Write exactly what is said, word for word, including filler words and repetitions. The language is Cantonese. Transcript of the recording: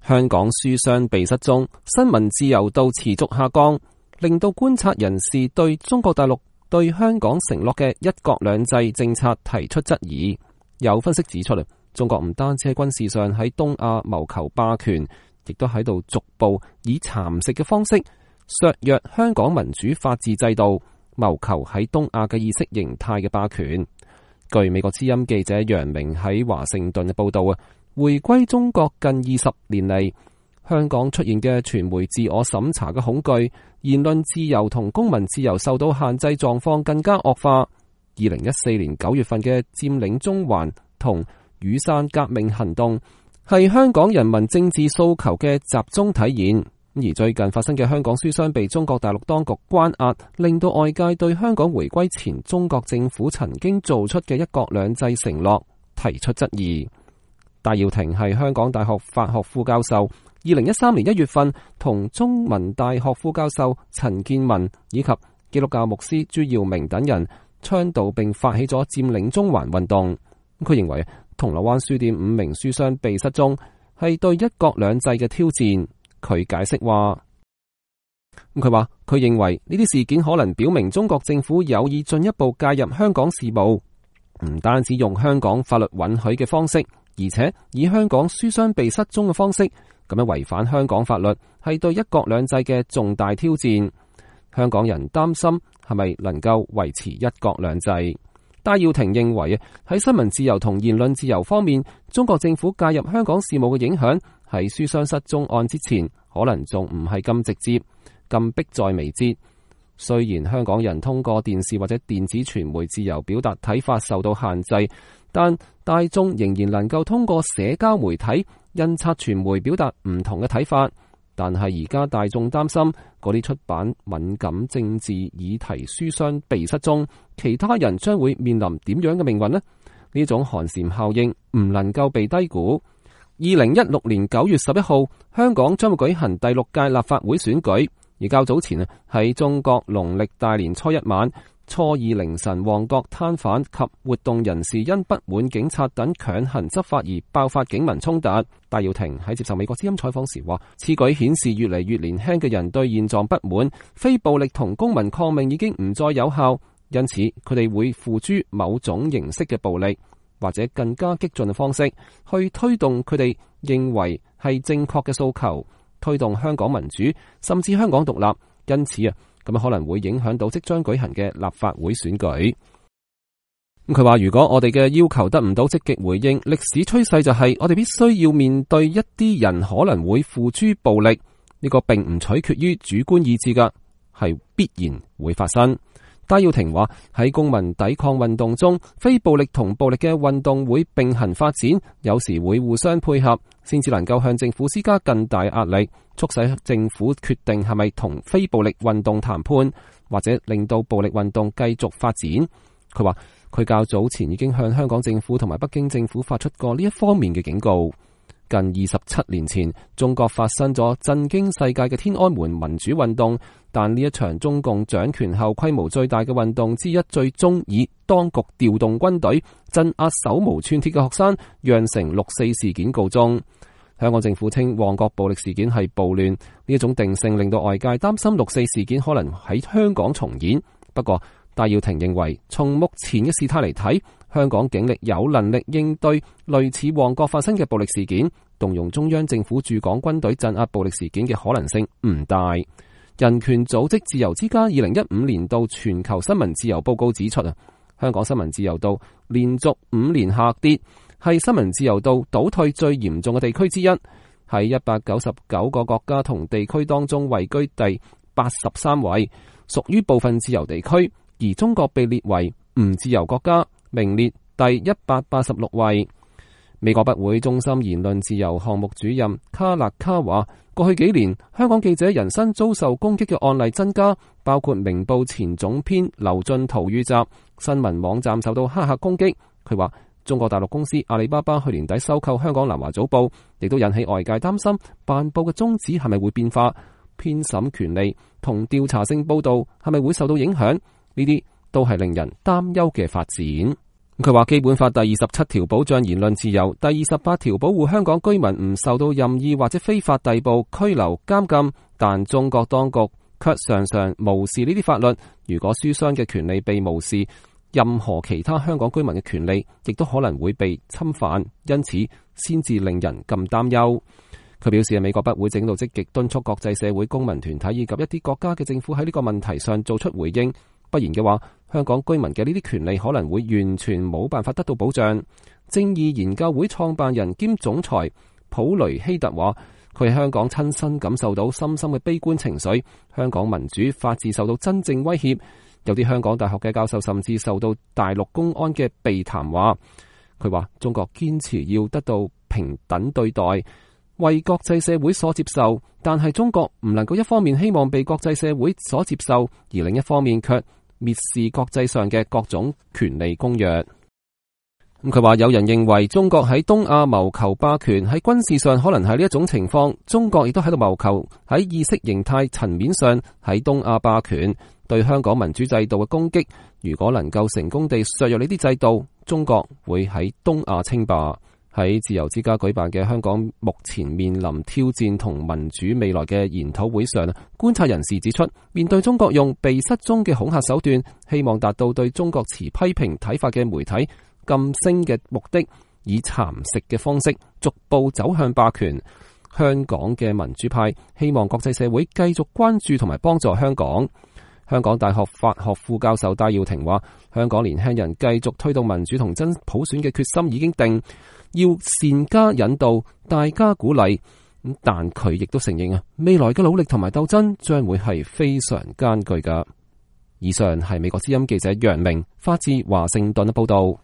香港書商被失蹤，新聞自由度持續下降，令到觀察人士對中國大陸對香港承諾嘅一國兩制政策提出質疑。有分析指出，中國唔單止喺軍事上喺東亞謀求霸權，亦都喺度逐步以蠶食嘅方式削弱香港民主法治制度，謀求喺東亞嘅意識形態嘅霸權。據美國之音記者楊明喺華盛頓嘅報道啊，回歸中國近二十年嚟，香港出現嘅傳媒自我審查嘅恐懼、言論自由同公民自由受到限制狀況更加惡化。二零一四年九月份嘅佔領中環同雨傘革命行動係香港人民政治訴求嘅集中體現。而最近發生嘅香港書商被中國大陸當局關押，令到外界對香港回歸前中國政府曾經做出嘅一國兩制承諾提出質疑。戴耀廷係香港大學法學副教授，二零一三年一月份同中文大學副教授陳建文以及基督教牧師朱耀明等人倡導並發起咗佔領中環運動。佢認為銅鑼灣書店五名書商被失蹤係對一國兩制嘅挑戰。佢解釋話，佢話佢認為呢啲事件可能表明中國政府有意進一步介入香港事務，唔單止用香港法律允許嘅方式，而且以香港書商被失蹤嘅方式，咁樣違反香港法律，係對一國兩制嘅重大挑戰。香港人擔心係咪能夠維持一國兩制？戴耀廷認為喺新聞自由同言論自由方面，中國政府介入香港事務嘅影響喺書商失蹤案之前，可能仲唔係咁直接、咁迫在眉睫。雖然香港人通過電視或者電子傳媒自由表達睇法受到限制，但大眾仍然能夠通過社交媒體、印刷傳媒表達唔同嘅睇法。但係而家大眾擔心嗰啲出版敏感政治議題書商被失蹤，其他人將會面臨點樣嘅命運呢？呢種寒蟬效應唔能夠被低估。二零一六年九月十一號，香港將會舉行第六屆立法會選舉，而較早前啊，喺中國農曆大年初一晚，初二凌晨，旺角攤販及活動人士因不滿警察等強行執法而爆發警民衝突。戴耀廷喺接受美國之音採訪時話，此舉顯示越嚟越年輕嘅人對現狀不滿，非暴力同公民抗命已經唔再有效，因此佢哋會付諸某種形式嘅暴力，或者更加激進嘅方式去推動佢哋認為係正確嘅訴求，推動香港民主，甚至香港獨立。因此啊，咁可能會影響到即將舉行嘅立法會選舉。咁佢話，如果我哋嘅要求得唔到積極回應，歷史趨勢就係我哋必須要面對一啲人可能會付諸暴力。呢個並唔取決於主觀意志㗎，係必然會發生。戴耀廷話，喺公民抵抗運動中，非暴力同暴力嘅運動會並行發展，有時會互相配合，先至能夠向政府施加更大壓力，促使政府決定係咪同非暴力運動談判，或者令到暴力運動繼續發展。佢話佢較早前已經向香港政府同埋北京政府發出過呢一方面嘅警告。近二十七年前，中國發生咗震驚世界嘅天安門民主運動，但呢一場中共掌權後規模最大嘅運動之一，最終以當局調動軍隊鎮壓手無寸鐵嘅學生，釀成六四事件告終。香港政府稱旺角暴力事件係暴亂，呢一種定性令到外界擔心六四事件可能喺香港重演。不過戴耀廷認為，從目前嘅事態嚟睇，香港警力有能力應對類似旺角發生嘅暴力事件，動用中央政府駐港軍隊鎮壓暴力事件嘅可能性唔大。人權組織自由之家二零一五年度全球新聞自由報告指出啊，香港新聞自由度連續五年下跌，係新聞自由度倒退最嚴重嘅地區之一，喺一百九十九個國家同地區當中位居第八十三位，屬於部分自由地區，而中國被列為唔自由國家，名列第一百八十六位。美國北會中心言論自由項目主任卡勒卡話，過去幾年香港記者人身遭受攻擊嘅案例增加，包括明報前總編劉進圖遇襲，新聞網站受到黑客攻擊。佢話中國大陸公司阿里巴巴去年底收購香港南華早報，亦都引起外界擔心辦報嘅宗旨係咪會變化，編審權利同調查性報道係咪會受到影響，呢啲都係令人擔憂嘅發展。佢話基本法第二十七條保障言論自由，第二十八條保護香港居民唔受到任意或者非法逮捕、拘留、監禁，但中國當局卻常常無視呢啲法律。如果書商嘅權利被無視，任何其他香港居民嘅權利亦都可能會被侵犯，因此先至令人咁擔憂。佢表示美國不會整到積極敦促國際社會、公民團體以及一啲國家嘅政府喺呢個問題上做出回應，不然嘅話，香港居民嘅呢啲權利可能會完全冇辦法得到保障。正義研究會創辦人兼總裁普雷希特話，佢喺香港親身感受到深深嘅悲觀情緒，香港民主法治受到真正威脅。有啲香港大學嘅教授甚至受到大陸公安嘅避談話。佢話中國堅持要得到平等對待，為國際社會所接受，但係中國唔能夠一方面希望被國際社會所接受，而另一方面卻蔑視國際上嘅各種權利公約。咁佢話有人認為中國喺東亞謀求霸權，喺軍事上可能係呢一種情況，中國亦都喺度謀求喺意識形態層面上喺東亞霸權。對香港民主制度嘅攻擊，如果能夠成功地削弱呢啲制度，中國會喺東亞稱霸。喺自由之家舉辦嘅香港目前面臨挑戰同民主未來嘅研討會上，觀察人士指出，面對中國用被失蹤嘅恐嚇手段，希望達到對中國持批評睇法嘅媒體噤聲嘅目的，以蠶食嘅方式逐步走向霸權。香港嘅民主派希望國際社會繼續關注同埋幫助香港。香港大學法學副教授戴耀廷話，香港年輕人繼續推動民主同真普選嘅決心已經定，要善加引導，大家鼓勵。但佢亦都承認啊，未來嘅努力同埋鬥爭將會係非常艱巨噶。以上係美國之音記者楊明發自華盛頓嘅報道。